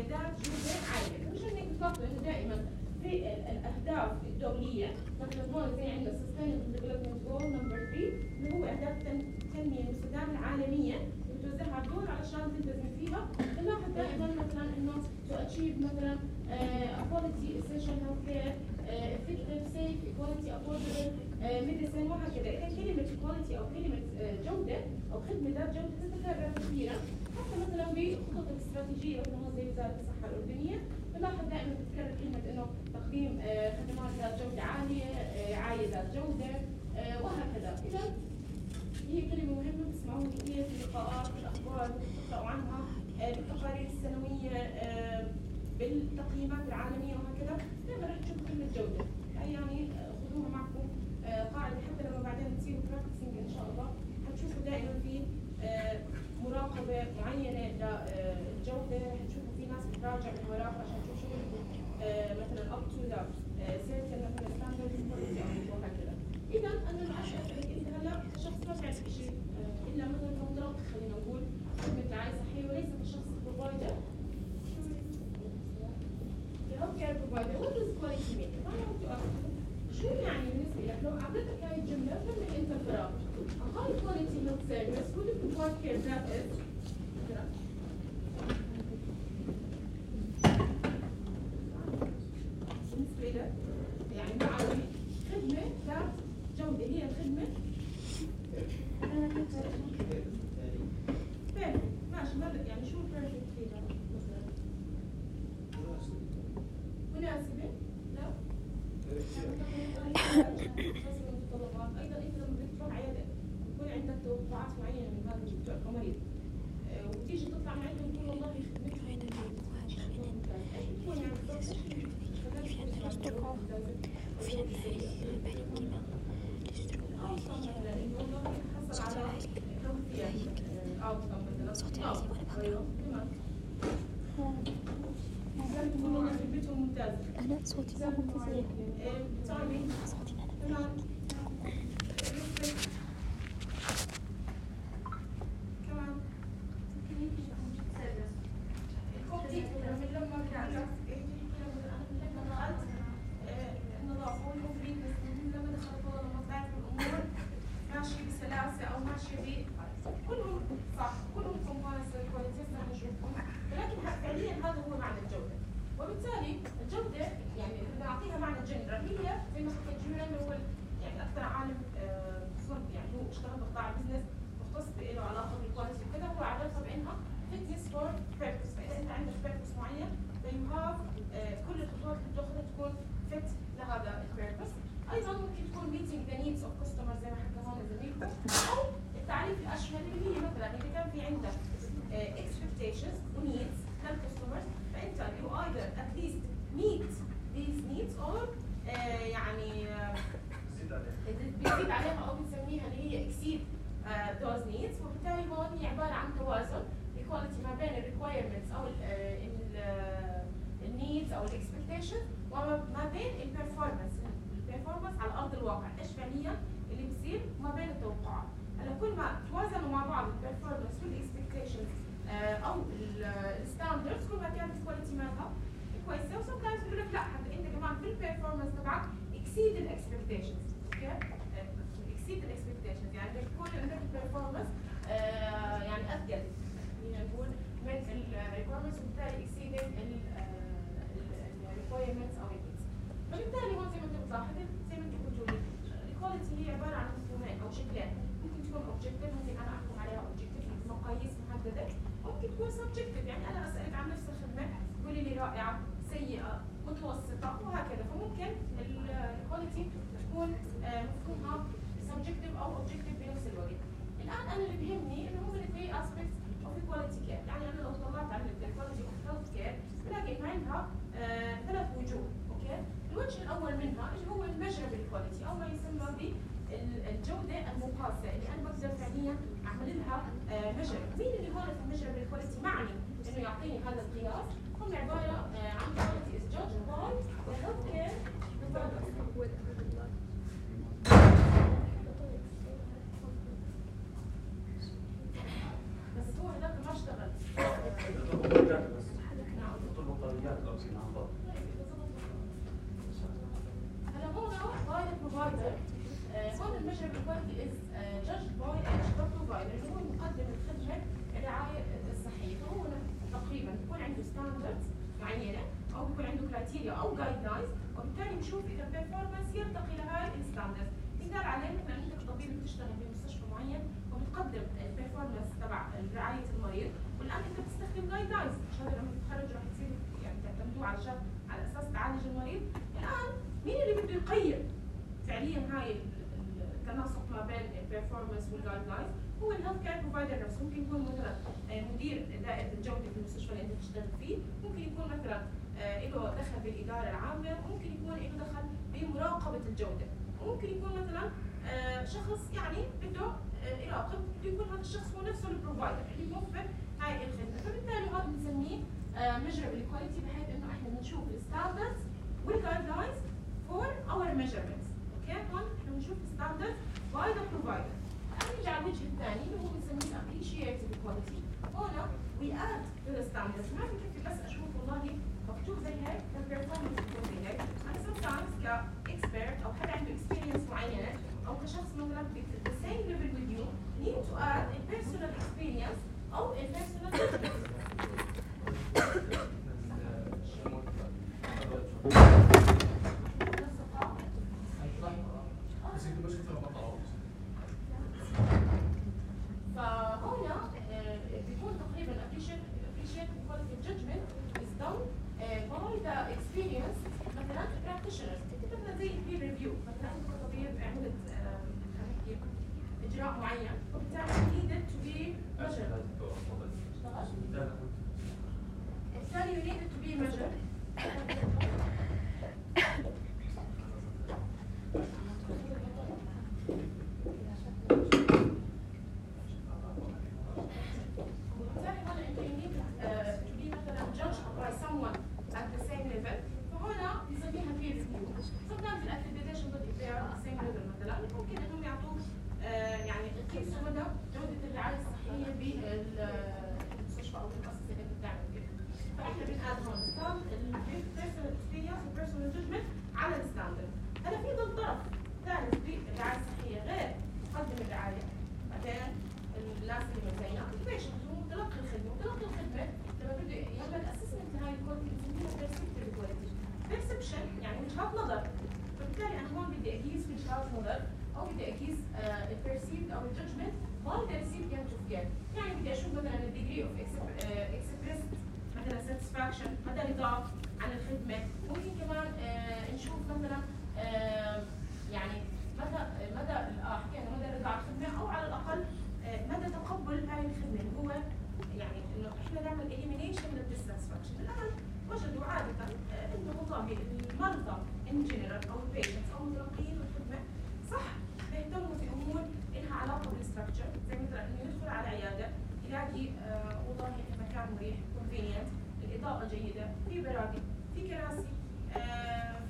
مدار جودة عالية. مشان هيك بتلاحظوا إنه دائما في الأهداف الدولية مثلا هون زي عندنا Sustainable Development Goal number 3 اللي هو أهداف التنمية المستدامة العالمية اللي بتوزعها على الدول علشان تلتزم فيها. بنلاحظ دائما مثلا إنه to achieve مثلا quality essential health care, effective, safe, equality, affordable medicine وهكذا. إذا كلمة equality أو كلمة جودة أو خدمة ذات جودة تتكرر كثيرا حتى مثلا بخطط الاستراتيجية مثلا زي وزارة الصحة الأردنية بنلاحظ دائما بتتكرر كلمة إنه تقديم خدمات ذات جودة عالية، رعاية ذات جودة وهكذا. إذا هي كلمة مهمة بتسمعوها كثير في اللقاءات في الأخبار بتقرأوا عنها بالتقارير السنوية بالتقييمات العالمية وهكذا. دائما رح تشوفوا كلمة جودة، يعني خذوها معكم قاعدة حتى لما بعدين تصيروا براكتسينج إن شاء الله حتشوفوا دائما في مراقبة معينة للجودة. رح تشوفوا في ناس بتراجع من وراها عشان تشوفوا شغلكم مثلا up to the certain مثلا standard quality وهكذا. إذا أنا ما أسألك أنت هلا كشخص ما بتعرف شيء إلا مثلا كمدرب خلينا نقول خدمة رعاية صحية وليس كشخص بروفايدر. healthcare provider, what does quality mean? If I want to ask you, شو يعني بالنسبة لك لو أعطيتك هاي الجملة فهمت أنت الفراغ. A high quality health service would provide care that is بالنسبة لك يعني معي خدمة ذات جودة هي الخدمة perfect. ماشي ماذا يعني شو perfect فيها مثلا؟ مناسبة؟ لا؟ أيضا أنت لما بدك تروح عيادة يكون عندك توقعات معينة من هذا المريض وتيجي تطلع من عندهم تقول والله خدمتهم أنا صوتي ما هو فظيع. صوتي أنا ماشي بسلاسة أو ماشي كلهم صح كلهم كومبوننتس للكواليتي نشوفهم ولكن فعليا هذا هو معنى الجودة. وبالتالي الجودة يعني نعطيها معنى جنرال هي زي ما حكيت جنرال هو يعني أكثر عالم يعني هو اشتغل بقطاع البزنس مختص له علاقة بالكواليتي وكذا هو عرفها بأنها fitness for purpose. فإذا أنت عندك purpose معين then you have كل الخطوات اللي بتاخذها تكون fit لهذا البيربس. أيضا ممكن تكون meeting the needs of customers زي ما حكى هون زميلكم أو التعريف الأشمل اللي هي مثلا إذا كان في عندك expectations و needs للcustomers فأنت you either at least meet these needs or يعني بتزيد عليها أو بنسميها اللي هي exceed those needs. وبالتالي هون هي عبارة عن توازن equality ما بين requirements أو needs أو expectations وما بين البرفورمانس على أرض الواقع إيش فعليا اللي بصير ما بين التوقعات. هلا كل ما توازنوا مع بعض البرفورمانس والاكسبكتيشنز أو الستاندردز كل ما كانت الكواليتي مالها كويسة. وسم تايمز بيقول لك لا حتى أنت كمان في البرفورمانس تبعك exceed الاكسبكتيشنز. أوكي؟ exceed الاكسبكتيشنز يعني بدك تكون عندك البرفورمانس يعني أثقل خلينا نقول من الريكويرمنتس وبالتالي exceeding الريكويرمنتس أو النيدز. فبالتالي هون زي ما انت بتلاحظ زي ما انت بتقولي الكواليتي هي عباره عن مفهومين او شكلين. ممكن تكون اوبجكتيف ممكن انا احكم عليها اوبجكتيف بمقاييس محدده ممكن تكون سبجكتيف يعني انا اسالك عن نفس الخدمه تقولي لي رائعه سيئه متوسطه وهكذا. فممكن الكواليتي تكون مفهومها سبجكتيف او اوبجكتيف بنفس الوقت. الان انا اللي بيهمني انه هم الثري اسبيكتس اوف الكواليتي كير. يعني انا لو طلعت على الكواليتي اوف هيلث كير بلاقي انه عندها ثلاث وجوه. الوجه الأول منها اللي هو الميجربل كواليتي أو ما يسمى بالجودة المقاسة اللي أنا بقدر فعليا أعمل لها ميجر. مين اللي هون في الميجربل كواليتي معني إنه يعطيني هذا القياس؟ هم عبارة عن quality is judged by the healthcare بس هو هذاك ما اشتغل. measurable quality is judged by the provider اللي هو مقدم الخدمة الرعاية الصحية، فهو تقريبا بيكون عنده ستاندردز معينة أو بيكون عنده كرايتيريا أو جايد لاينز، وبالتالي بنشوف إذا البرفورمانس يرتقي لهاي الستاندردز. مثال عليه مثلا أنت كطبيب بتشتغل بمستشفى معين وبتقدم البرفورمانس تبع رعاية المريض، والآن أنت بتستخدم جايد لاينز، عشان لما تتخرج راح تصير يعني تعتمدوا على أساس تعالج المريض. الآن مين اللي بده يقيم فعليا هاي التناسق ما بين البرفورمانس والجايد لاينز؟ هو الهيلث كير بروفايدر نفسه. ممكن يكون مثلا مدير دائرة الجودة في المستشفى اللي انت بتشتغل فيه، ممكن يكون مثلا له دخل بالإدارة العامة، ممكن يكون له دخل بمراقبة الجودة، وممكن يكون مثلا شخص يعني بده يراقب، بده يكون هذا الشخص هو نفسه البروفايدر اللي بيوفر هاي الخدمة، فبالتالي هذا بنسميه measurable quality، بحيث انه احنا بنشوف الستاندردز والجايد لاينز for our measurements. اوكي، هون احنا بنشوف الستاندردز by the provider. نرجع على الوجه الثاني اللي هو بنسميه appreciated quality. هون we add to the standards، ما بكفي بس اشوف والله مكتوب زي هيك البرفورمانس بتكون زي هيك. انا sometimes كاكسبيرت او حدا عنده experience معينه او كشخص مثلا the same level with you need to add a personal experience او a personal judgment. فهنا بيكون تقريبا appreciate quality judgment is done by the experience مثلا practitioners. مثلا زي peer review، مثلا انت كطبيب عملت اجراء معين وبالتالي needed to be measured. بالتالي you needed to be measured. مدى رضا عن الخدمة، ممكن كمان نشوف مثلا يعني مدى حكينا مدى رضا عن الخدمة، أو على الأقل مدى تقبل هاي الخدمة، اللي هو يعني إنه إحنا نعمل elimination من الديساتسفاكشن. الآن وجدوا عادة إنه والله المرضى in general أو البيشنتس أو متلقيين الخدمة صح بيهتموا في أمور إلها علاقة بالستراكشر، زي مثلا إنه يدخل على عيادة يلاقي والله المكان مريح convenient، الإضاءة جيدة، في برادي، في كراسي،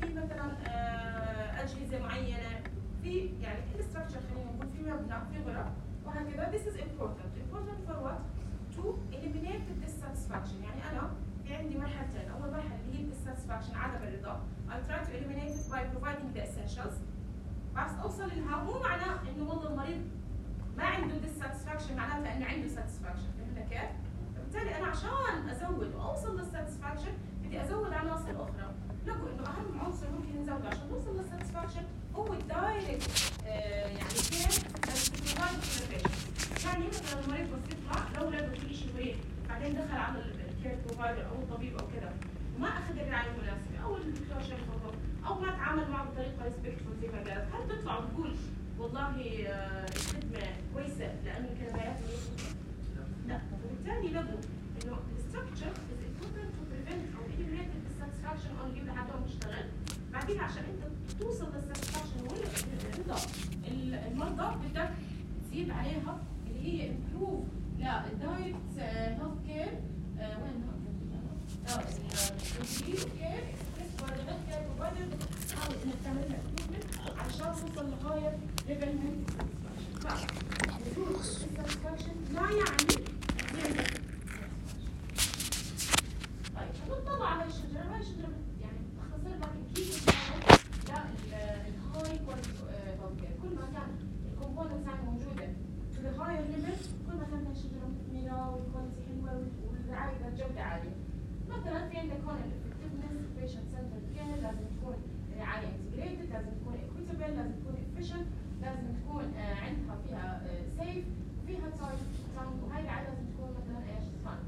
في مثلا أجهزة معينة، في يعني الستراكشر خلينا نقول في مبنى، في غرف وهكذا. This is important for what? To eliminate the dissatisfaction. يعني أنا في عندي مرحلتين، أول مرحلة اللي هي dissatisfaction عدم الرضا. I try to eliminate it by providing the essentials. بس أوصل لها مو معناه إنه والله المريض ما عنده dissatisfaction معناتها إنه عنده satisfaction، فهمنا كيف؟ فبالتالي أنا عشان أزود وأوصل للساتسفاكشن بدي أزود عناصر أخرى. لقوا إنه أهم عنصر ممكن نزوده عشان نوصل للساتسفاكشن هو الدايركت يعني كير بروفايد انفورميشن. يعني مثلا المريض بس يطلع لو لقوا في شيء مريض بعدين دخل على الكير بروفايدر أو الطبيب أو كذا وما أخذ الرعاية المناسبة أو الدكتور شافه أو ما تعامل معه بطريقة ريسبكتفول زي ما قالت، هل تطلع وتقول والله الخدمة كويسة لأنه الكلمات لا. وبالتالي لقوا انه الستراكشر is important to prevent او eliminate the dissatisfaction only لحد ما تشتغل. بعدين عشان انت توصل للساتسفاكشن والرضا المرضى بدك تزيد عليها اللي هي improve للدايركت هيلث كير وين الديجري اوف كير اكسبريس باي ذا هيلث كير بروفايدر. تحاول انك تعمل لها امبروفمنت عشان توصل لهاير ليفل من الساتسفاكشن. لا يعني طيب نطلع على الشجرة، هاي الشجرة يعني تختصر لك كيف لا الهاي كواليتي هيلث كير. كل ما كان لازم تكون equitable، لازم تكون efficient، لازم تكون عندها فيها safe وفيها time، وهي العادة لازم تكون مثلا ايش؟ fun.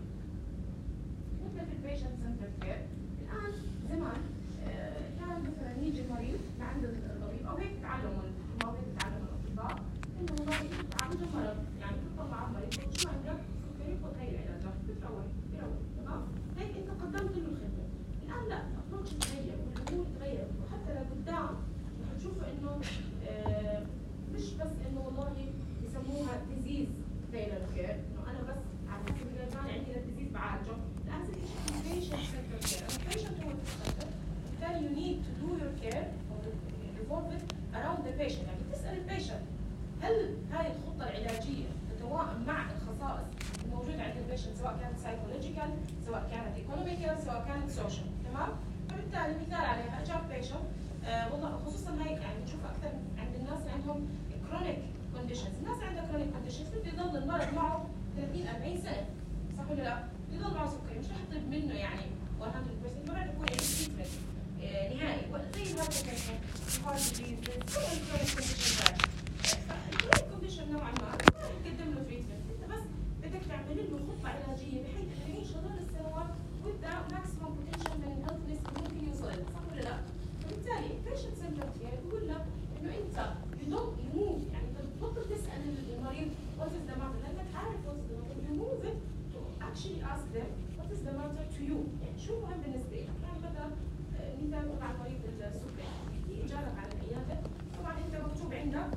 نبدأ في البيشنت سنتر كير. الآن زمان كان مثلا يجي المريض لعند الطبيب أو هيك تعلموا المواضيع تتعلم الأطباء إنه والله عنده مرض، يعني بتطلع على المريض شو عندك؟ سكري، خذ هي العلاجات، بتروح تمام؟ هيك أنت قدمت له الخدمة. الآن لا، الأبروتش تغير والأمور تغيرت، وحتى لقدام رح تشوفوا إنه مش بس إنه والله يسموها disease tailored care، إنه أنا بس على حسب الجايدلاين عندي للديزيز بعالجه. الآن صرت شيء patient centered care. البيشنت هو السنتر، بالتالي you need to do your care or revolve it around the patient. يعني تسأل البيشنت هل هاي الخطة العلاجية تتوائم مع الخصائص الموجودة عند البيشنت، سواء كانت psychological، سواء كانت economical، سواء كانت social، تمام؟ فبالتالي مثال عليها جاب بيشنت والله خصوصا هيك يعني نشوف أكثر عند الناس اللي عندهم chronic conditions. الناس اللي عندها chronic conditions بده يضل المرض معه 30-40 سنة، صح ولا لا؟ يضل معه سكري، مش رح يطيب منه يعني 100%، ما راح يكون عنده تريتمنت نهائي زي الهايبرتنشن، الهارت ديزيز، كل الكرونيك كونديشن هاي. فالكرونيك كونديشن نوعا ما ما رح تقدم له تريتمنت، انت بس بدك تعمل له خطة علاجية بحيث انه يعيش هذول السنوات with the maximum potential من الهيلثنس اللي ممكن يوصل له، صح ولا لا؟ فبالتالي البيشنت سنترد كير بقول لك انه انت you move، يعني انت بتبطل تسأل المريض what is the matter، لانك عارف what is the matter، you move it to actually ask them what is the matter to you، يعني شو مهم بالنسبة لك؟ يعني مثلا مثال نقول على مريض السكري، يجي جارك على العيادة، طبعا انت مكتوب عندك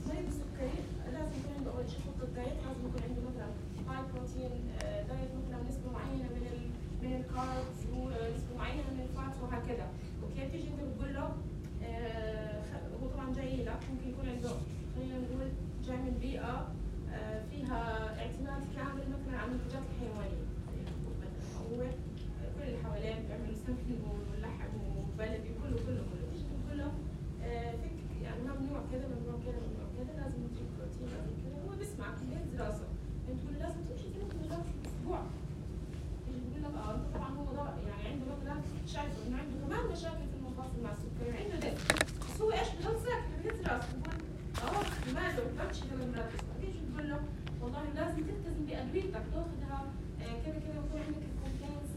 مريض السكري لازم يكون عنده اول شيء خطة دايت، لازم يكون عنده مثلا هاي بروتين دايت، مثلا نسبة معينة من الكاربز ونسبة معينة من الفاتس وهكذا. اوكي، تيجي انت بتقول له هو طبعا جاي لك ممكن يكون عنده خلينا نقول جاي من بيئة فيها اعتماد كامل مثلا على المنتجات الحيوانية، هو كل اللي حواليه بيعملوا سمن ولحم وبلدي كله تيجي تقول له فيك يعني ممنوع كذا ممنوع كذا ممنوع كذا، لازم تجيب بروتين لازم كذا، هو بيسمعك بيهز راسه، انت تقول له لازم تمشي 3 مرات في الاسبوع. يجي بيقول لك انت طبعا هو ضرر، يعني عنده مثلا شايفه انه عنده كمان مشاكل في المفاصل مع السكري وعنده ده، بس هو ايش بضل ساكت بيهز راسه، بقول ماله بمشي 3 مرات في الاسبوع. تيجي تقول له والله لازم تلتزم بادويتك، تاخذها كذا كذا، ويكون عندك الكومبلينس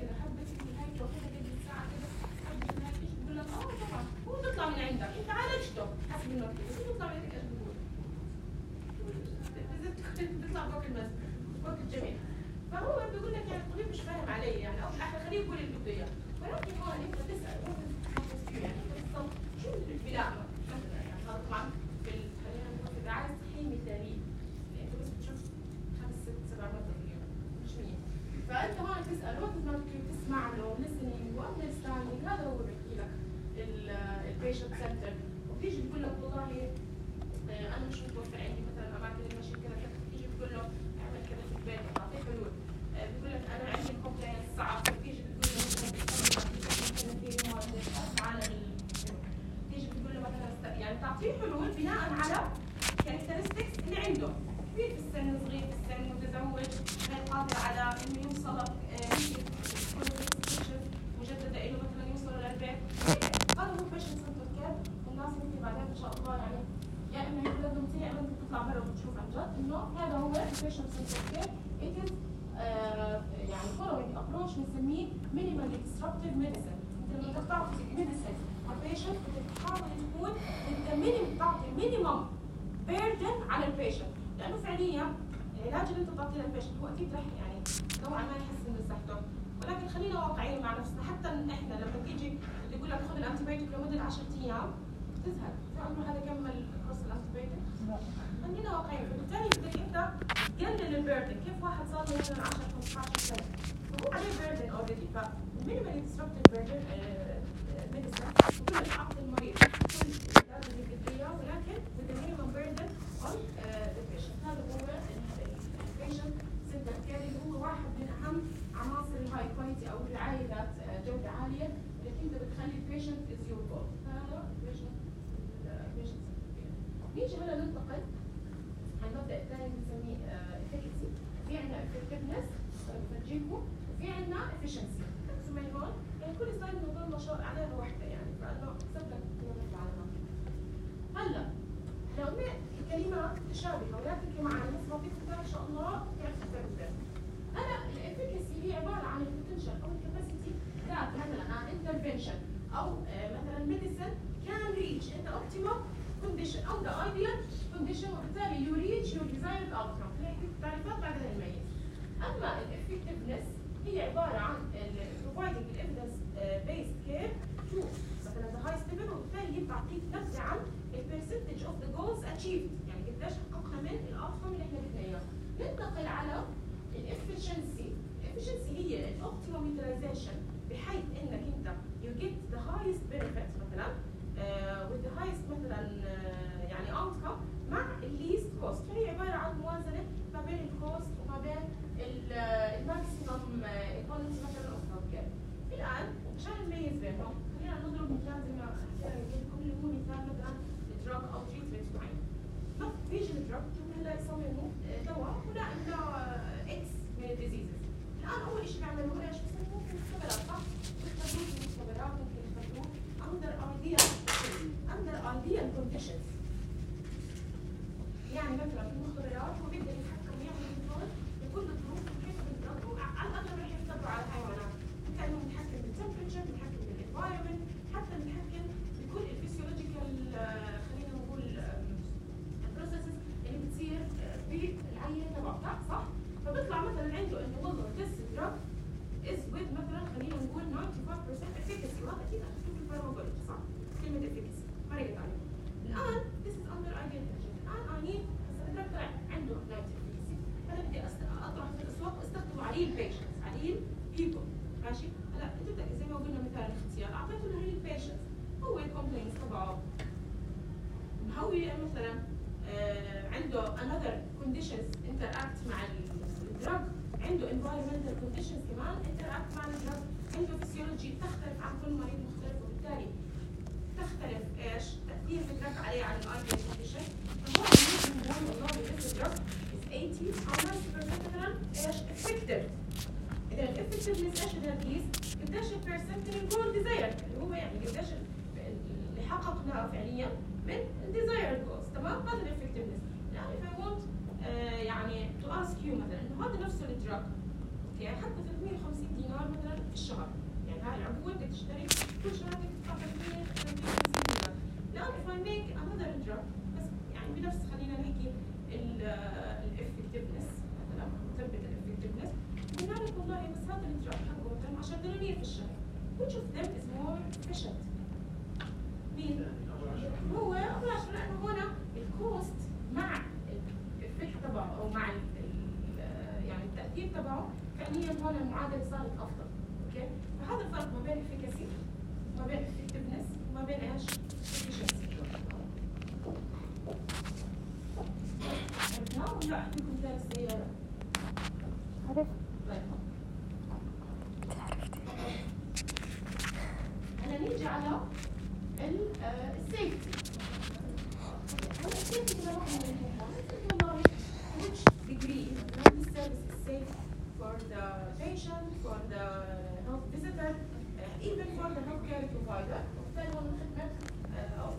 كذا، حبه هاي تاخذها قد ساعه كذا، حبه هاي. تيجي تقول لك طبعا هو بيطلع من عندك، انت عالجته حسب المكتوب، بس هو بيطلع من عندك ايش بقول؟ بيطلع فوق المسك فوق الجميع. فهو بيقول لك يعني الطبيب مش فاهم علي، يعني او الاحلى خليه يقول اللي بده اياه، ولكن هون انت تسال يعني انت بالضبط شو اللي بيلائمك مثلا، يعني هذا طبعا خلينا نقول في الرعايه الصحيه مثاليه، انت بس بتشوف 5-6-7 مرات في اليوم مش 100، فانت هون تسال وقت ما تسمع له listening واندرستاندينج، هذا هو بيحكي لك البيشنت سنتر. وبتيجي بتقول لك والله انا مش متوفر عندي مثلا اماكن المشي كذا كذا، بتيجي بتقول له اعمل كذا في البيت، تعطيه حلول. بتقول لك انا عندي الكومبلينس صعب، بتيجي بتقول له مثلا تيجي بتقول له مثلا يعني تعطيه حلول بناء على كاركترستكس اللي عنده، كبير في السن، صغير في السن، متزوج، غير قادر على انه يوصل مجدده له مثلا يوصل للبيت. هذا هو بيشنت سنتر كير. والناس ممكن بعدين ان شاء الله يعني يا اما يقولوا يا اما انت تطلع برا وتشوف عن جد انه هذا هو البيشنت سنتر كير. it is يعني following approach بنسميه minimally disruptive medicine. انت لما تعطي medicine للبيشنت بتحاول تكون انت تعطي minimum burden على البيشنت، لانه فعليا العلاج اللي انت بتعطيه للبيشنت هو اكيد رح يعني نوعا ما يحسن من صحته، ولكن خلينا واقعيين مع نفسنا. حتى احنا لما تيجي يقول لك خذ الانتيبيوتيك لمده 10 ايام تزهق، في عمره هذا كمل كورس الانتيبيوتيك؟ خلينا واقعيين. فبالتالي بدك انت تقلل البيردن. كيف واحد صار له مثلا 10-15 سنه فهو عليه بيردن اوريدي، فالمينيمالي ديسربتيف بيردن ميديسن بقول لك اعطي المريض كل العلاج اللي بدك اياه، ولكن with the minimum burden on the patient. هذا هو البيشنت سنتر كير، اللي هو واحد من اهم عناصر الهاي كواليتي او الرعايه ذات جوده عاليه اللي انت بتخلي البيشنت از يور جول. هذا البيشنت سنتر كير. نيجي هلا ننتقل على المبدا الثاني بنسميه efficacy. في عندنا effectiveness بنجيبه، وفي عندنا efficiency. ركزوا معي هون، يعني كل سلايد بنضل نشاط عليها وحده يعني، فانه اكتب لك كلمات متشابهه ولا تحكي معنا بس بعطيكم ان شاء الله كيف تفكر. هلا الافيكاسي هي عباره عن البوتنشال او الكاباسيتي ذات مثلا عن انترفنشن او مثلا ميديسن كان ريتش ان اوبتيمال كونديشن او ذا ايديال كونديشن وبالتالي يو ريتش يور ديزايرد اوتكم. هيك تعريفات بعدين نميز. اما الافكتفنس هي عباره عن providing evidence based care to مثلا the highest level وبالتالي بتعطيك نبذه عن percentage of the goals achieved يعني قديش حققنا من الاوتكم اللي احنا بدنا اياه. ننتقل على الافشنسي. الافشنسي هي الاوبتيمم يوتيلايزيشن بحيث انك انت you get the highest benefit مثلا with the highest مثلا يعني outcome مع least cost. فهي عباره عن موازنه ما بين الكوست وما بين الماكسيمم ايكونومي مثلا اوف هيلث كير. الان عشان نميز بينهم خلينا نضرب مثال زي ما حكينا لكم اللي هو مثال مثلا دراج او تريتمنت معين. بيجي الدراج هلا يصمموا دواء ولا انه اكس من الديزيزز. الان اول شيء بيعملوا ايش؟ بيسموه ممكن مختبرات صح؟ بيختبروه في المختبرات ممكن يختبروه under ideal conditions. يعني مثلا في المختبرات هو بيقدر يتحكم ويعمل كنترول بكل الظروف كيف بيختبروا على الاغلب رح يختبروا على الحيوانات. كانه متحكم بالتمبرتشر، متحكم بالانفايرمنت، حتى متحكم بكل الفسيولوجيكال خلينا نقول البروسيسز اللي بتصير بالعينه تبعه صح؟ فبيطلع مثلا عنده انه والله this drug is with مثلا خلينا نقول 95% efficacy وهذا اكيد اخذتوه في الفارماكولوجي صح؟ كلمه efficacy مرقت عليكم. الان this is under ideal conditions. الان I need هسه الدرج طلع عنده 90 efficacy فانا بدي اطرح في الاسواق واستخدمه عليه البيشنتس عليه people ماشي؟ هلا انت زي ما قلنا مثال الاختيار اعطيته له هي البيشنتس هو الكومبلينز تبعه مهوي مثلا عنده another conditions interact مع الدرج عنده environmental conditions كمان interact مع الدرج عنده physiology تختلف عن كل مريض مختلف وبالتالي تختلف ايش تأثير الدرج عليه عن الايديال condition. فهو ممكن نقول والله this drug is 80 أو 90% مثلا ايش effective. إذا الeffectiveness ايش بدها تقيس؟ قديش البرسنت من الجول ديزايرد اللي هو يعني قديش اللي حققناه فعليا من الديزايرد جولز تمام؟ هذا الeffectiveness. يعني if I want يعني to ask you مثلا انه هذا نفسه الدراج اوكي حتى 350 دينار مثلا في الشهر يعني هاي العبوه بدك تشتري كل شهر بدك تدفع 350 دينار. الان if I make another drug بس يعني بنفس خلينا نحكي الeffectiveness مثلا مثبت الeffectiveness قلنا لك والله بس هذا الدراج حقه مثلا 10 دنانير في الشهر which of them is more efficient؟ مين؟ هو أول عشان لأنه هنا الكوست مع الإفكت تبعه أو مع يعني التأثير تبعه فعليا هون المعادلة صارت أفضل، أوكي؟ فهذا الفرق ما بين efficacy وما بين effectiveness وما بين إيش؟ efficiency. عرفنا ولا أحكيكم مثال السيارة؟ عرفت. طيب. هلا نيجي على السيفتي. هلا السيفتي كده واحد من الحاجات والله which degree this service is safe for the patient, for the health visitor, even for the healthcare provider. وبالتالي هو الخدمة أو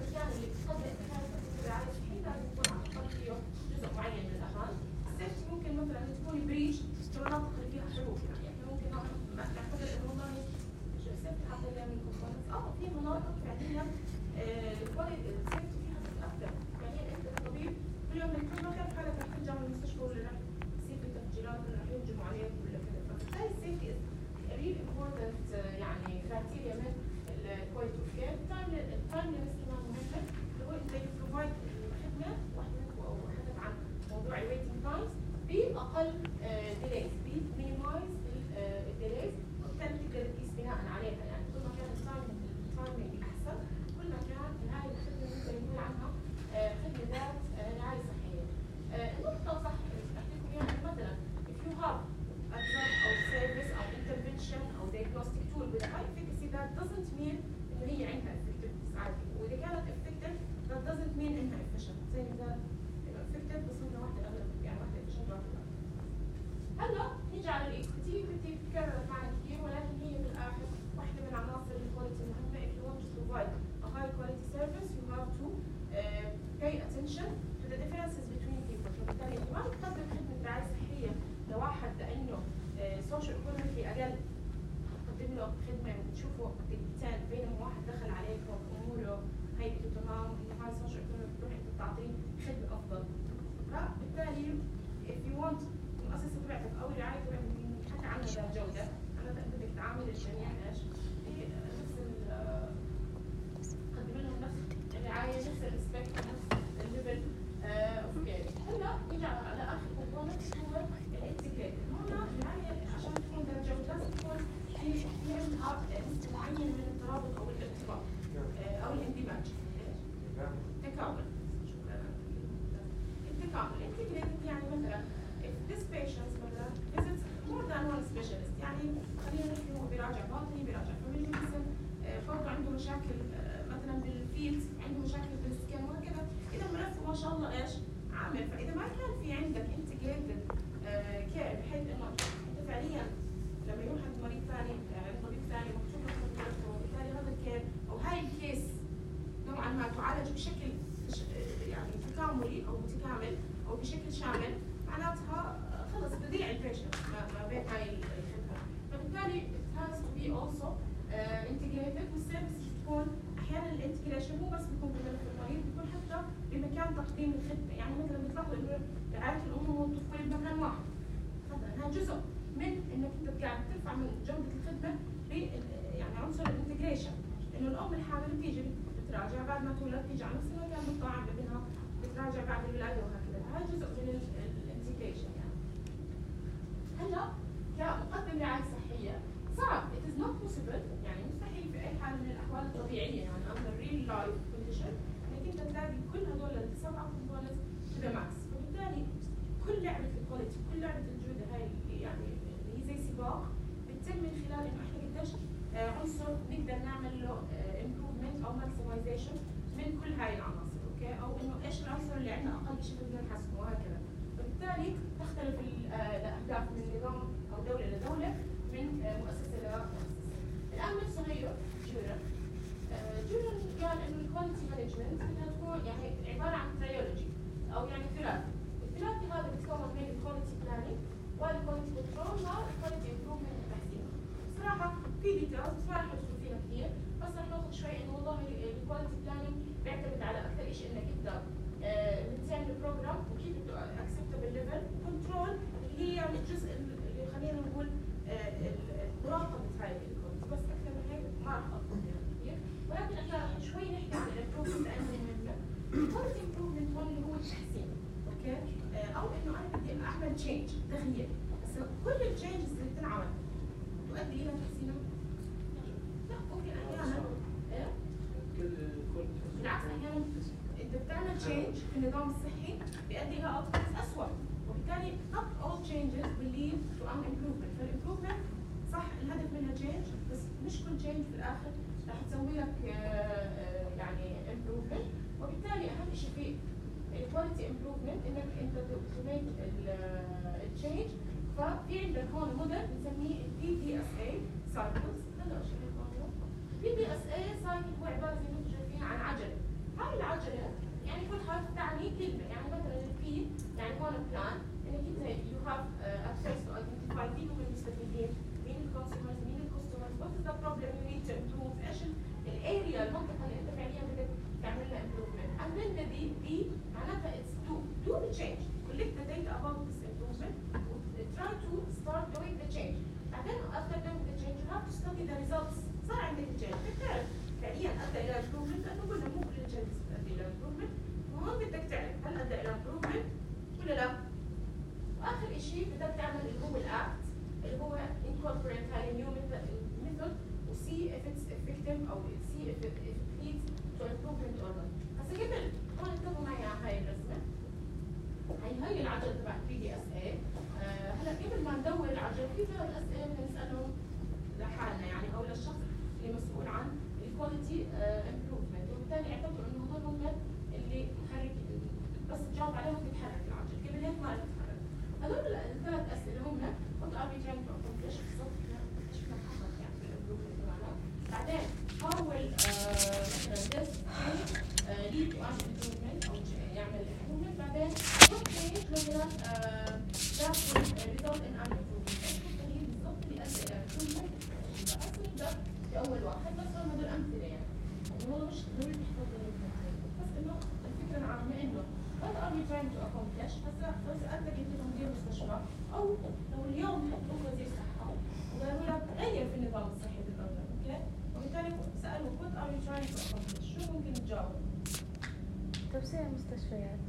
المكان اللي بتقدم خدمة الرعاية الصحية لازم يكون على الأقل فيه جزء معين من الأمان. السيفتي ممكن مثلا تكون بريتش في المناطق اللي فيها حروب يعني ممكن نعتبر إنه والله السيفتي حتى اللي من كومبوننتس في مناطق فعليا الكواليتي السيفتي فيها أكثر. يعني أنت كطبيب كل يوم بتكون ما كان حالك رح ترجع من المستشفى ولا رح يصير في تفجيرات ولا رح يهجموا عليك ولا كذا. فبالتالي السيفتي is really important يعني criteria من pay attention to the differences between people. فبالتالي ما بتقدم خدمة رعاية صحية لواحد لأنه social economically أقل، تقدم له خدمة وتشوفه دقيقتين بينما واحد دخل عليك وأموره هيئته تمام وإنه هذا social economic تروح أنت تعطيه خدمة أفضل. فبالتالي if you want المؤسسة تبعتك أو الرعاية تبعتك نحكي عنها بجودة، أنا بدك تعامل الجميع إيش؟ تقدم لهم نفس الرعاية، نفس الريسبكت، نفس الليفل اوف كير. هلا نيجي على آخر كومبوننت هو الانتجريتد. هنا الرعاية عشان تكون بجودة لازم تكون في عندها نسبة معينة من الترابط أو الارتباط أو الاندماج. تكامل. التكامل integrated يعني مثلا if this patient مثلا visits more than one specialist، يعني خلينا نحكي هو بيراجع باطني، بيراجع فاميلي ميديسن، برضه عنده مشاكل مثلا بالفيلد، عنده مشاكل بالسكن وهكذا. إذا ملفه ما شاء الله إيش عامل. فإذا ما كان في عندك integrated care بحيث إنه أنت فعليا لما يروح عند مريض ثاني عند طبيب ثاني مكتوب له خطته، وبالتالي هذا الكير أو هاي الكيس نوعا ما تعالج بشكل يعني تكاملي أو متكامل أو بشكل شامل، معناتها خلص بضيع البيشنت ما بين هاي الخدمة. فبالتالي it has to be also integrated، والسيرفيس تكون أحيانا الانتجريشن مو بس بيكون بملف المريض، بيكون حتى بمكان تقديم الخدمة. يعني مثلا بتلاحظوا إنه رعاية الأم والطفل بمكان واحد، مثلا هذا جزء من إنك أنت قاعد ترفع من جودة الخدمة يعني عنصر الانتجريشن، إنه الأم الحامل بتيجي بتراجع بعد ما تولد، تيجي على نفس المكان بتطعم ابنها، بتراجع بعد الولادة وهكذا. هاي جزء من الانتجريشن. يعني هلا كمقدم رعاية صحية صعب، it is not possible، يعني مستحيل في أي حال من الأحوال الطبيعية يعني under real life condition إنك أنت تلاقي كل هذول ال7 components to the max. فبالتالي كل لعبة الكواليتي، كل لعبة الجودة هاي يعني اللي هي زي سباق بتتم من خلال إنه إحنا قديش عنصر نقدر نعمل له improvement أو maximization من كل هاي العناصر، أوكي؟ أو إنه إيش العنصر اللي عندنا أقل شيء بدنا نحسنه وهكذا. فبالتالي تختلف الأهداف من نظام أو دولة لدولة، من مؤسسة لمؤسسة. الآن نفسه غيره جورن قال إنه الكواليتي مانجمنت بدها تكون يعني عبارة عن تريولوجي أو يعني ثلاثي. الثلاثي هذا بيتكون من الكواليتي بلانينج والكواليتي كنترول والكواليتي امبروفمنت وتحسين. بصراحة في ديتيلز بس ما رح ندخل فيها كثير، بس رح ناخذ شوي إنه والله الكواليتي بلانينج بيعتمد على أكثر شيء إنك أنت بتساند البروجرام وكيف بده اكسبتبل ليفل. كنترول اللي هي يعني الجزء اللي خلينا نقول مراقبة هاي الكواليتي، بس أكثر من هيك ما رح أطلب فيها كثير. ولكن احنا رح شوي نحكي عن الامبروفمنت لأنه مهمة. الكواليتي امبروفمنت هون اللي هو التحسين، أوكي؟ أو إنه أنا بدي أعمل تشينج، تغيير، بس كل التشينجز اللي بتنعمل تؤدي إلى تحسين؟ لا، ممكن أحيانا بالعكس أحيانا أنت بتعمل تشينج في النظام الصحي بيؤدي إلى أوتكمز أسوأ، وبالتالي not all changes will lead to an improvement. فالimprovement صح الهدف منها change، بس مش كل change في الآخر رح تسوي لك يعني improvement. وبالتالي أهم شيء في quality improvement إنك أنت to make الchange. ففي عندك هون موديل بنسميه PDSA cycles. هلا شو هيك PDSA cycle هو عبارة زي ما انتم شايفين عن عجلة. هاي العجلة يعني كل حرف تعني كلمة، يعني مثلا البي يعني هون بلان انك انت you have access to identify مين هم المستفيدين، مين الكونسيومرز، مين الكاستمرز، what is the problem you need to improve، ايش الاريا المنطقة اللي انت فعليا بدك تعمل لها improvement. and then the B معناتها it's do the change، collect the data about this improvement try to start doing the change. بعدين after doing the change you have to study the results. صار عندك change بتعرف فعليا ادى الى improvement، لانه قلنا مو كل changes بتؤدي الى improvement، وهون بدك تعرف هل ادى الى improvement ولا لا. واخر شيء بدك تعمل اللي هو الاكت اللي هو incorporate هاي new method وسي if it's effective او see if it leads to improvement or not. هسه قبل هون انتبهوا معي على هاي الرسمه، هي العجله تبع PDSA. هلا قبل ما ندور العجله في 3 اسئله بدنا نسالهم لحالنا يعني او للشخص اللي مسؤول عن الكواليتي امبروفمنت، وبالتالي اعتبروا انه هذول هم اللي بحرك بس تجاوب عليهم بتحرك العجل، قبل هيك ما بتتحرك. هذول ال3 اسئله هم what are we trying to accomplish بالضبط، ايش بدنا نحقق يعني في الامبروفمنت تبعنا. بعدين how will ليش؟ هسا لو سالتك انت كمدير مستشفى او لو اليوم حطوك وزير صحه وقالوا لك غير في النظام الصحي بالاردن، اوكي؟ وبالتالي سالوا what are you trying to accomplish؟ شو ممكن تجاوب؟ توسيع المستشفيات.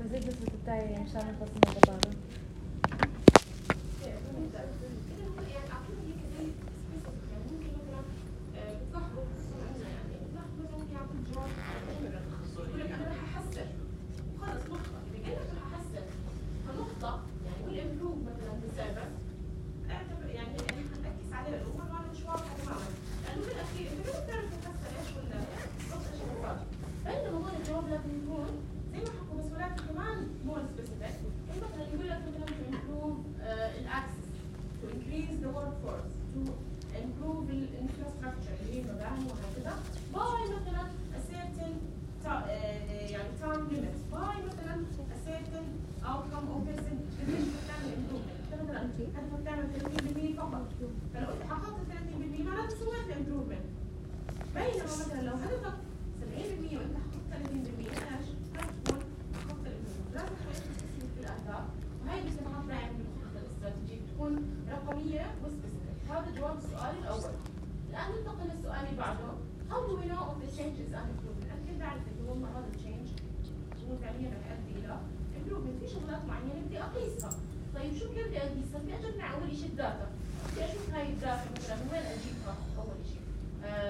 بزيد نسبة التعيين مشان نخلص من البطالة. فلو انت حققت 30% معناته سويت الامبروفمنت. بينما مثلا لو هدفك 70% وانت حققت 30% ايش؟ هتكون حققت الامبروفمنت. لازم تحط في الاهداف، وهي بصراحه دائما بالخطه الاستراتيجيه بتكون رقميه وسبيسيفيك. هذا جواب السؤال الاول. الان ننتقل للسؤال اللي بعده. How do we know if the change is an improvement؟ انا كيف بعرف انه والله هذا التشينج هو فعليا رح يؤدي الى improvement؟ في شغلات معينه بدي اقيسها. طيب شو كيف بدي اقيسها؟ بدي اجمع اول شيء الداتا. بدي اشوف هاي الداتا مثلا من وين اجيبها اول شيء.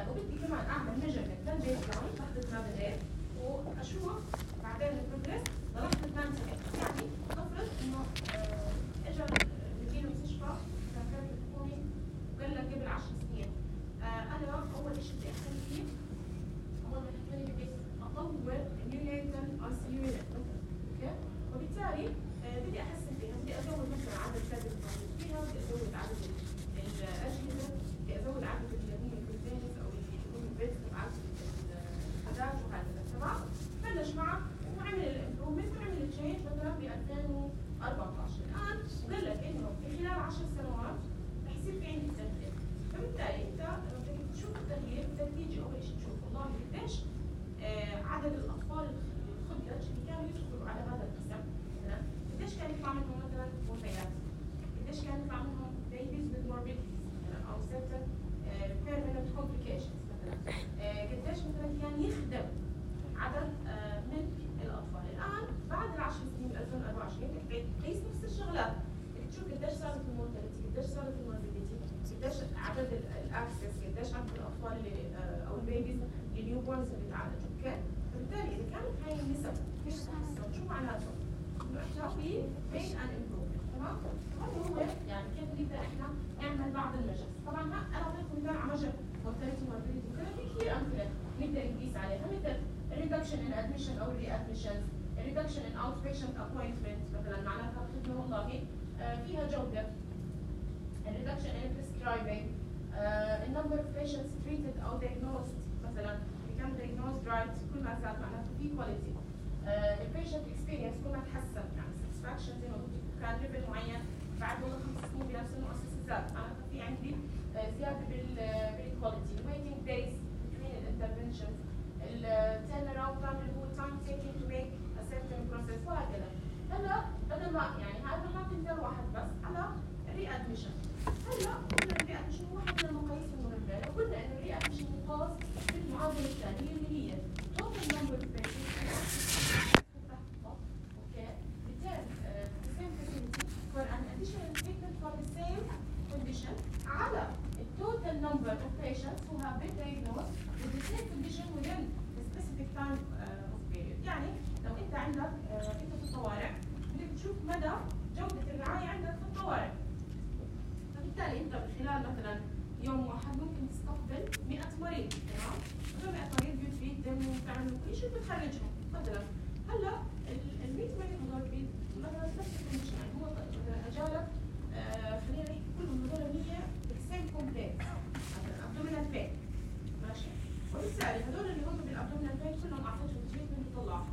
وبدي كمان اعمل ميجرمنت للبيز لاين تحت ما بديت واشوف بعدين البروجريس ضلت 8 سنين. يعني نفرض انه اجى مدير المستشفى كان كاتب حكومي وقال لك قبل 10 سنين انا اول شيء بدي اهتم فيه اول ما حكوني بدي اطور النيونيتال اي سي يو يونت. اوكي؟ وبالتالي بدي احسن فيها، بدي ازود مثلا عدد السادس الموجود فيها، بدي ازود عدد الاجهزه، بدي ازود عدد الذين الكونتينرز او اللي يكونوا البيتس تبعت الحاجات وهكذا. تمام؟ بلش معك وعمل الامبروفمنت وعمل التشينج مثلا ب 2014. الان وقال لك انه في خلال 10 سنوات رح يصير في عندي تغيير. فبالتالي انت لما بدك تشوف التغيير بدك تيجي اول شيء تشوف والله قديش عدد الاطفال الخدج اللي كانوا يدخلوا على هذا القسم مثلا، قديش كان يطلع منهم مثلا وفيات، قديش كان يطلع منهم babies with morbidities مثلا او certain permanent complications مثلا، قديش مثلا كان يخدم عدد من الاطفال. الان بعد ال 10 سنين 2024 بدك تقيس نفس الشغلات، بدك تشوف قديش صارت المورتاليتي، قديش صارت الموربيديتي، قديش عدد الاكسس، قديش عدد الاطفال اللي او البيبيز النيو بورنز اللي تعالجوا. اوكي؟ فبالتالي اذا كانت هاي النسب فيش تحسن شو معناته؟ انه احنا في بين ان امبروفمنت. تمام؟ هذا هو يعني كيف نقدر احنا نعمل بعض المجال. طبعا انا اعطيكم مثال على مجال مورتاليتي موربيديتي وكذا، في كثير امثله نقدر نقيس عليها مثل الريدكشن ان ادميشن او ري ادميشنز، الريدكشن ان اوت بيشنت ابوينتمنت مثلا معناتها الخدمه والله فيها جوده، الريدكشن ان بريسكرايبنج، النمبر اوف بيشنتس تريتد او diagnosed مثلا become diagnosed right كل ما زاد معناته في كواليتي، البيشنت اكسبيرينس كل ما تحسن يعني ساتسفاكشن زي ما قلت كان ليفل معين بعد والله 5 سنين بنفس المؤسسه زاد معناتها في عندي زياده بالكواليتي، الويتنج دايز between الانترفنشنز، التيرن اراوند تايم اللي هو تايم تيكينج تو ميك ا سيرتن بروسيس وهكذا. هلا بدل ما يعني هذا حاطط مثال واحد بس على الري ادميشن. هلا قلنا الري ادميشن واحد من المقاييس المهمه، لو قلنا انه الري ادميشن مقاس بالمعادله الثانيه اللي هي total number of patients okay return the same facility for an additional treatment for the same condition على the total number of patients who have been diagnosed with the same condition within the specific time of period. يعني لو انت عندك انت في الطوارئ بدك تشوف مدى جودة الرعاية عندك في الطوارئ. فبالتالي انت من خلال مثلا يوم واحد ممكن تستقبل 100 مريض، تمام؟ هذول 100 مريض بتريدهم وبتعمل كل شيء وبتخرجهم مثلا. هلا ال 100 مريض هذول مثلا نفس الكونديشن، يعني هو اجالك خلينا نحكي كلهم هذول 100 بالسيم كومبلكس مثلا ابدومينال بين ماشي، وبالتالي هذول اللي هم بالابدومينال بين كلهم اعطيتهم تريتمنت وطلعهم.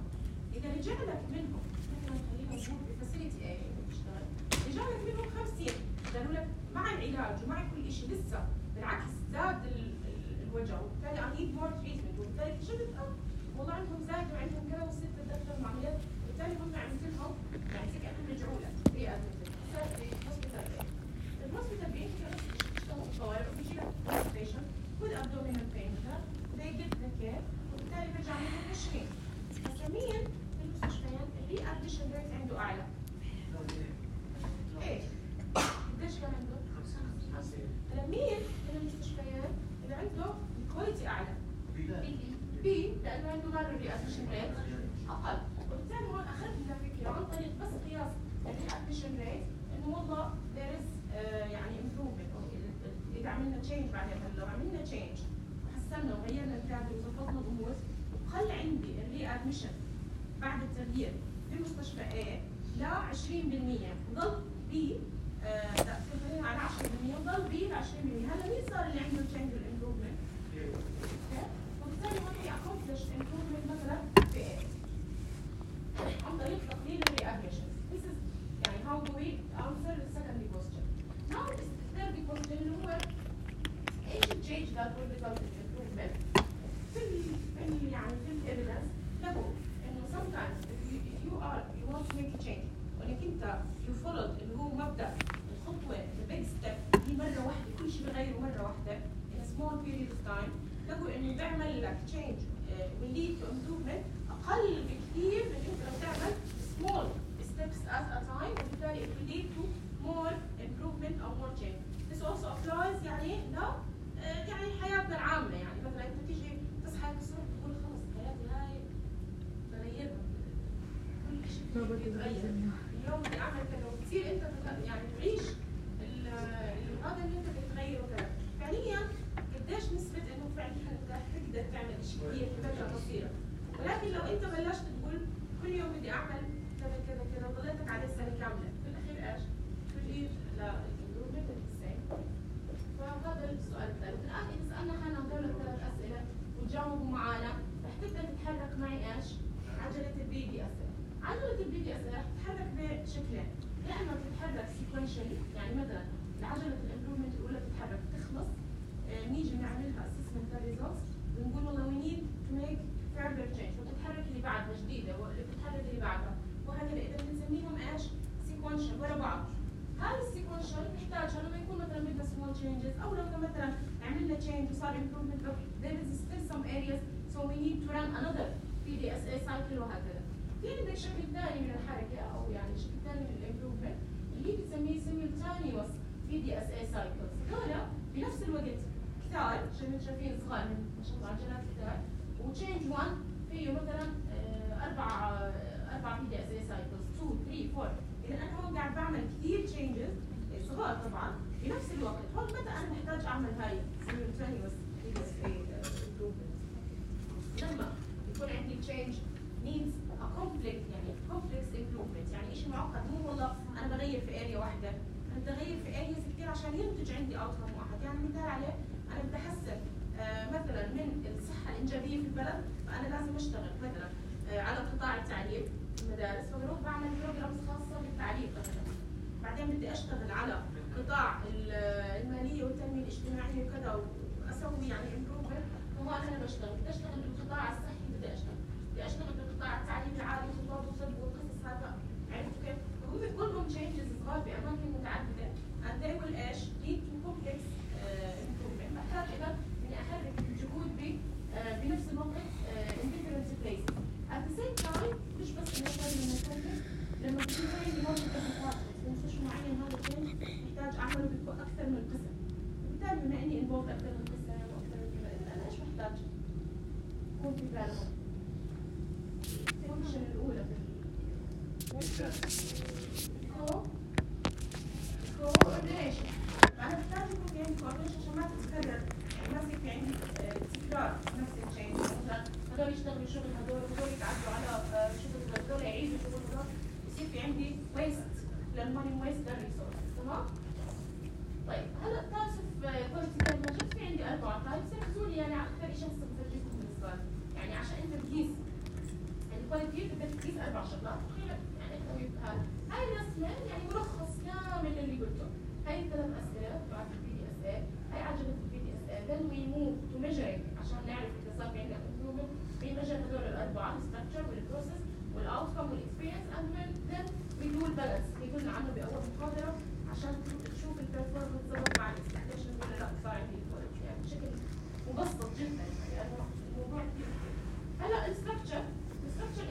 اذا رجع لك منهم مثلا خلينا نقول بفاسيلتي اي بتشتغل، رجع لك منهم 50 قالوا لك مع العلاج ومع كل شيء لسه بالعكس زاد الوجع وبالتالي I need more treatment، وبالتالي اكتشفت والله عندهم زاد وعندهم كذا وصرت بدي اكثر من عمليات فهمتوا مال الريادميشن ريت اقل، وبالتالي هون اخذت فكره عن طريق بس قياس الريادميشن ريت انه والله there is يعني improvement او اذا عملنا تشينج بعدين لو عملنا تشينج وحسنا وغيرنا الكادر وظبطنا الامور وخلى عندي الريادميشن بعد التغيير في مستشفى A ل 20% وضل B على 10% وضل B ل 20%. هلا مين صار اللي عنده تشينج والامبروفمنت؟ وبالتالي هون في accomplish improvement مثلا في A عن طريق تقليل الريادميشن. This is يعني how do we answer the second question. Now the third question اللي هو ايش التشينج that will result in improvement؟ في يعني في evidence له انه sometimes if you want to make a change وانك انت you followed اللي هو مبدا الخطوه the big step هي مره واحده كل شيء بغيره مره واحده in a small period of time له انه بيعمل لك change will lead to improvement اقل بكثير من انت لو تعمل small steps at a time وبالتالي it will lead to more improvement or more change. This also applies يعني لا يعني حياتنا العامه يعني مثلا انت تيجي تصحى الصبح تقول خلص حياتي هاي تغيرها كل شيء بيتغير اليوم بدي اعمل كذا وتصير انت يعني تعيش هذا اللي انت بتغيره كذا فعليا قديش نسبه انه فعليا انت تقدر تعمل شيء كثير في فتره قصيره ولكن لو انت بلشت تقول كل يوم بدي اعمل كذا كذا كذا وضليتك عليه سنه كامله في الاخير ايش؟ تجي للامبروفمنت السيم. فهذا السؤال الثالث. الان اذا سالنا حالنا هذول الثلاث اسئله وتجاوبوا معنا رح تبدا تتحرك معي ايش؟ عجله البي دي اس ال. عجله البي دي اس ال رح تتحرك بشكلين، يا اما بتتحرك سيكونشالي يعني مثلا عجله الامبروفمنت الاولى بتتحرك تخلص نيجي نعملها اسسمنت للريزلتس ونقول والله وي نيد تو ميك further change وتتحرك اللي بعدها جديده واللي بتتحرك اللي بعدها وهكذا. اذا بنسميهم ايش؟ سيكونشال ورا بعض. هذا السيكونشال نحتاجها لما يكون مثلا بدنا small changes او لو مثلا عملنا change وصار improvement but there is still some areas so we need to run another PDSA cycle وهكذا. في عندك شكل ثاني من الحركه او يعني شكل ثاني من الامبروفمنت اللي بتسميه simultaneous PDSA cycles. هذول بنفس الوقت كتار شايفين صغار ما شاء الله عجلات كتار وتشينج 1 فيه مثلا 4 PDSA cycles 2 3 4. اذا انا هون قاعد بعمل كثير تشينجز صغار طبعا بنفس الوقت. هون متى انا بحتاج اعمل هاي simultaneous PDSA improvement؟ لما يكون عندي change needs a complex improvement يعني شيء معقد مو والله انا بغير في اريا واحده انا بدي اغير في ارياز كثير عشان ينتج عندي اوتكم واحد. يعني مثال عليه انا بدي احسن مثلا من الصحه الانجابيه في البلد فانا لازم اشتغل مثلا على قطاع التعليم المدارس فبروح بعمل بروجرامز خاصه بالتعليم مثلا. بعدين بدي اشتغل على قطاع الماليه والتنميه الاجتماعيه وكذا واسوي يعني امبروفمنت فهون انا بشتغل. بدي اشتغل بالقطاع الصحي بدي اشتغل بالقطاع التعليمي العالي خطاب وطب والقصص هذا عرفتوا كيف؟ فهم كلهم تشينجز صغار باماكن متعدده and they will ايش؟ lead to complex improvement. بحتاج اذا اني احرك الجهود بنفس الوقت in different places. At the same time مش بس انه لازم نتكلم لما تكون عندي موقف في مستشفى معين هذا الشيء محتاج اعمله باكثر من قسم. وبالتالي بما اني انفولد اكثر من قسم واكثر من كذا اذا انا ايش محتاج؟ يكون في بالهم. الفانكشن الاولى coordination. فانا بحتاج يكون في عندي coordination عشان ما تتكرر يعني ما يصير في عندي تكرار نفس الشيء. مثلا هذول يشتغلوا شغل هذول يتعدوا على شغل هذول يعيدوا شغل هذول يصير في عندي ويست للماني ويست للريسورس. تمام؟ طيب هلا تايبس اوف كواليتي ماجرز في عندي 4 تايبس. ركزوا لي يعني على اكثر شيء هسه بفرجيكم بالنسبه يعني عشان انت تقيس الكواليتي بدك تقيس 4 شغلات. يعني هاي الرسمه يعني ملخص كامل اللي قلته. هاي الثلاث اسئله تبعت البي دي اس اي، هاي عجله البي دي اس اي. then we move to measuring عشان نعرف اذا صار في عندنا improvement. we measure هذول الاربعه الستراكشر والبروسيس والاوتكم والاكسبيرينس and then we do البالانس اللي قلنا عنه باول محاضره عشان تشوف البرفورمنس ضبط مع الاكسبكتيشن ولا لا صار عندي الكواليتي يعني بشكل مبسط جدا يعني الموضوع كثير. هلا الستراكشر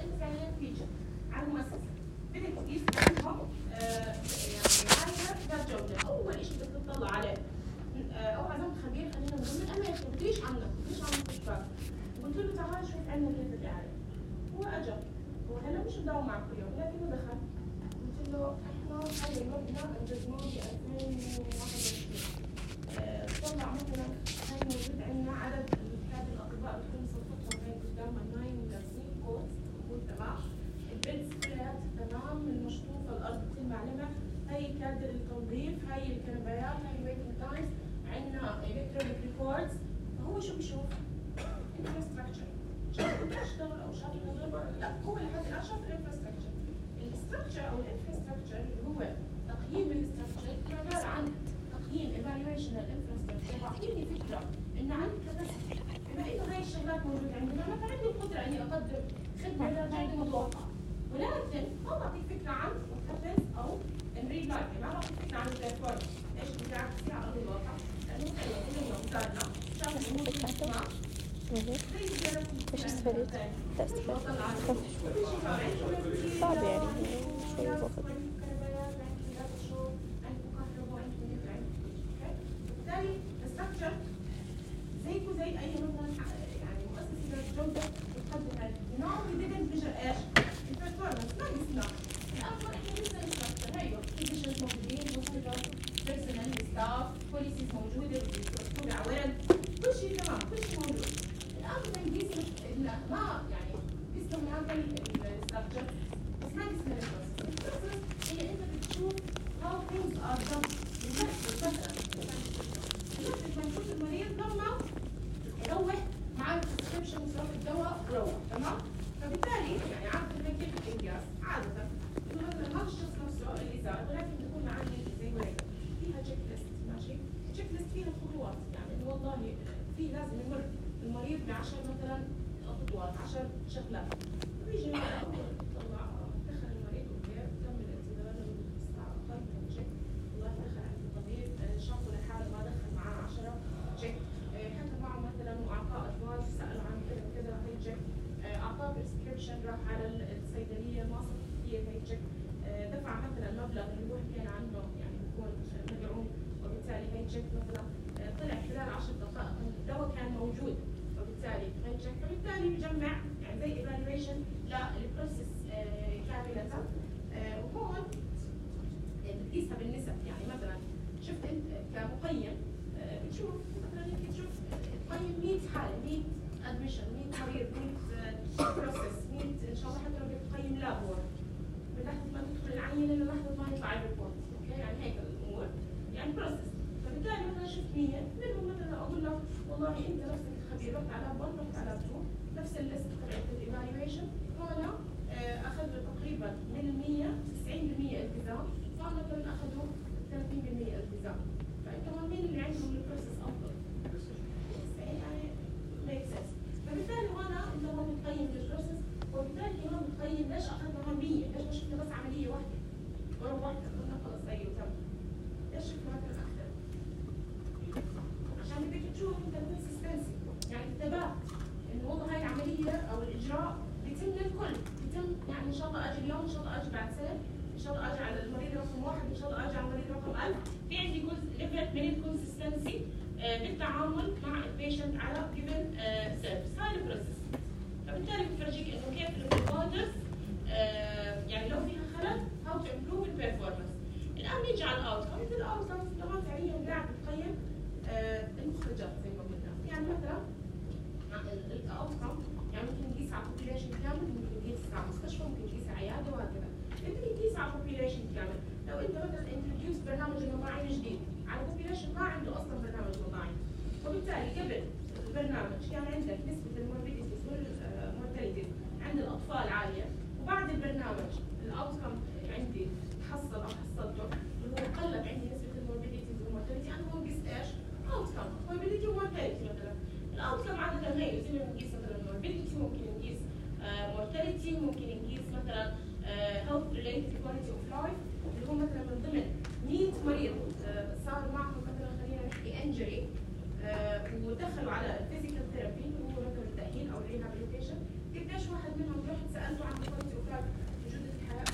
انت فعليا فيتشر على المؤسسه بدك تقيس عنهم يعني عايزه جوده. اول شيء بدك تطلع عليه او عزمت خبير خلينا نقول من امريكا بديش عنك بديش عن المستشفى وقلت له تعال شوف عندنا كيف لي عليه. هو اجى هو هلا مش مداوم معكم اليوم لكنه دخل قلت له احنا هاي المبنى انجزناه ب 2021. طلع مثلا هاي موجود عندنا عدد هذه الاطباء بتكون صفقتهم هاي قدام الناين لابسين كوت تمام، البيتس كلها تمام المشطوفه الارض بتلمع لمع، هاي كادر التنظيف، هاي الكنبايات، هاي الويتنج تايمز، عندنا الكترونيك ريكوردز. فهو شو بيشوف؟ انفراستراكشر. شاف بتشتغل او شاف الهدول لا هو لحد الان شاف الانفراستراكشر. الاستراكشر او الانفراستراكشر اللي هو تقييم الاستراكشر عباره عن تقييم ايفالويشن للانفراستراكشر، بعطيني فكره انه عندي كباسيتي بما انه هاي الشغلات موجوده عندنا ما عندي القدره اني اقدم خدمه للجوده المتوقعه، ولكن ما بعطيك فكره عن وتحفز او الريل لايف، ما بعطيك فكره عن البرفورمانس ايش بتعرف فيها على ارض الواقع، لانه مثلا كلنا مثالنا شافوا الامور تمام ايش استفدت؟ لا استفدت صعب يعني شوي وقت. بالتالي الستراكشر زيكو زي اي مثلا يعني مؤسسه جوده بتقدم هذا نوع جديد بيجر ايش؟ البرفورمانس ما قسنا الافضل احنا لسه الستراكشر هيو فيزيشنز موجودين بيرسونال ستاف بوليسيز موجوده مكتوبه على ورق كل شيء تمام كل شيء موجود. الان بدنا نقيس ما يعني قسنا من هذا الستراكشر بس ما قسنا البروسيس هي انت بتشوف how things are done مثلا لما نشوف المريض لما يروح مع البريسكريبشن وصرف الدواء وروح تمام، فبالتالي يعني عاده كيف الانجاز عاده انه مثلا هذا الشخص نفسه اللي زاد ولكن بيكون عندي زي ورقه فيها تشيك ليست ماشي، تشيك ليست فيها خطوات يعني انه والله في لازم يمر المريض ب 10 مثلا خطوات 10 شغلات، فبيجي طلع دخل المريض وكيف تم الانتظار للساعه اقل من تشيك والله دخل عند الطبيب شافه لحاله ما دخل معاه 10 تشيك، حكى معه مثلا واعطاه ادفايس سال عن كذا وكذا هي تشيك، اعطاه بريسكريبشن راح على الصيدليه ما صرفت فيه هي تشيك، دفع مثلا مبلغ اللي هو حكينا عنه يعني بيكون مدعوم وبالتالي هي تشيك مثلا طلع خلال 10 دقائق الدواء كان موجود وبالتالي هي تشيك، فبالتالي بجمع يعني زي ايفالويشن للبروسيس كامله، وهون بتقيسها بالنسب يعني مثلا شفت انت كمقيم بتشوف مثلا انت تشوف تقيم 100 حاله 100 ادميشن 100 مريض 100 بروسيس 100 ان شاء الله حتى لو بتقيم لاب وورك من لحظه ما تدخل العينه للحظه ما يطلع الريبورت اوكي يعني هيك الامور يعني بروسيس، فبالتالي مثلا شفت 100 منهم مثلا اقول لك والله انت نفسك خبير رحت على 1 رحت على 2 نفس الليست تبعت الايفالويشن هون اخذوا تقريبا من ال 100 90% التزام، هون مثلا اخذوا 30% التزام، فانت مين اللي عندهم البروسيس افضل؟ يعني ميك سنس، فبالتالي هون انت هون بتقيم البروسيس وبالتالي كمان بتقيم ليش اخذنا هون 100 ليش ما شفنا بس عمليه واحده وروحنا قلنا خلص هي وتم، ليش شفنا مثلا اكثر؟ عشان بدك تشوف انت الكونسستنسي يعني الثبات انه والله هاي العمليه او الاجراء بيتم للكل بيتم يعني ان شاء الله اجي اليوم ان شاء الله اجي بعد سنه ان شاء الله اجي على المريض رقم 1 ان شاء الله اجي على المريض رقم 1000، في عندي جزء ليفل من الكونسستنسي بالتعامل مع البيشنت على جيفن سيرفيس، هاي البروسيس، فبالتالي بفرجيك انه كيف البروفايدرز يعني لو فيها خلل هاو تو امبروف البرفورمانس. الان نيجي على الاوتكمز، الاوتكمز طبعا فعليا قاعد بتقيم المخرجات زي ما قلنا، يعني مثلا الاوتكم يعني ممكن نقيس على البوبيليشن كامل، ممكن نقيس على مستشفى، ممكن نقيس على عياده وهكذا. انت بتقيس على البوبيليشن كامل، لو انت مثلا انتروديوس برنامج المطاعم جديد على البوبيليشن ما عنده اصلا برنامج مطاعم، وبالتالي قبل البرنامج كان عندك نسبه الموربيديتيز والمورتاليتيز عند الاطفال عاليه، وبعد البرنامج الاوتكم عندي تحصل او حصلته اللي هو قلت عندي نسبه الموربيديتيز والمورتاليتي، انا هون قست ايش؟ اوتكم موربيديتي ومورتاليتي مثلا. الاوتكم عاده هي زي ما بنقيس مثلا موربيديتي ممكن نقيس مورتاليتي ممكن نقيس مثلا health related quality of life اللي هو مثلا من ضمن 100 مريض صار معهم مثلا خلينا نحكي انجري ودخلوا على الفيزيكال ثيرابي اللي هو مثلا التاهيل او الريهابيليتيشن، قديش واحد منهم رحت سالته عن quality of life جوده الحياه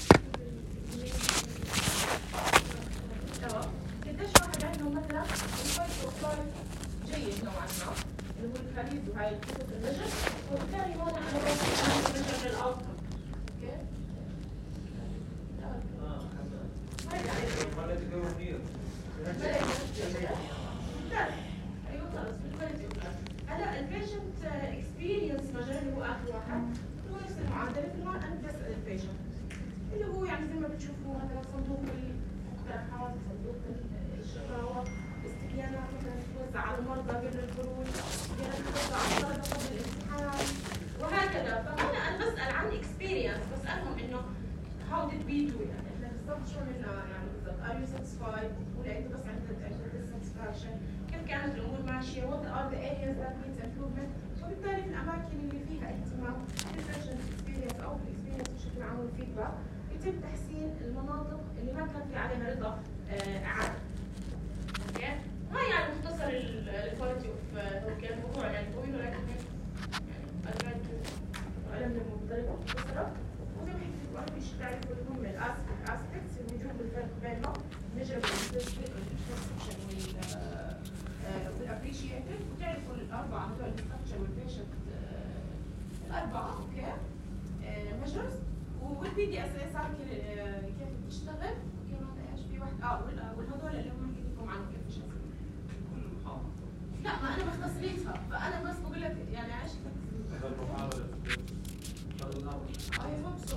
قديش واحد عندهم مثلا quality of life جيد نوعا ما اللي هو الكاريز وهاي القصص النجم، وبالتالي هون انا ايفالويشن اللي هو يعني زي ما بتشوفوا مثلا صندوق المقترحات، صندوق الشقاوة، استبيانات مثلا توزع على المرضى قبل الخروج، استبيانات توزع على الطلبة قبل الامتحان وهكذا. فأنا بسأل عن اكسبيرينس، بسألهم إنه how did we do يعني إحنا بالضبط شو عملنا يعني بالضبط are you satisfied ولا أنتوا بس عندك dissatisfaction، كيف كانت الأمور ماشية، what are the areas that need improvement. وبالتالي في الأماكن اللي فيها اهتمام بالبيشنت اكسبيرينس أو بالاكسبيرينس بشكل عام والفيدباك يتم تحسين المناطق اللي ما كان في عليها رضا إعادة. اوكي؟ هاي يعني مختصر الكواليتي اوف هيلث الموضوع يعني طويل ولكن يعني علم المضطربة مختصرة. وزي ما حكيت لكم أهم شيء تعرفوا اللي هم الاسبكتس الوجوه والفرق بينهم، measurable perception والابريشيتد، وتعرفوا الأربعة هذول الستراكشر والبيشنت الأربعة اوكي measures، والبي دي اس اس كيف بتشتغل، وكمان ايش في واحد والهذول اللي هم حكيت لكم عنهم كيف بيشتغلوا. لا ما انا مختصريتها، فانا بس بقول لك يعني ايش I hope so.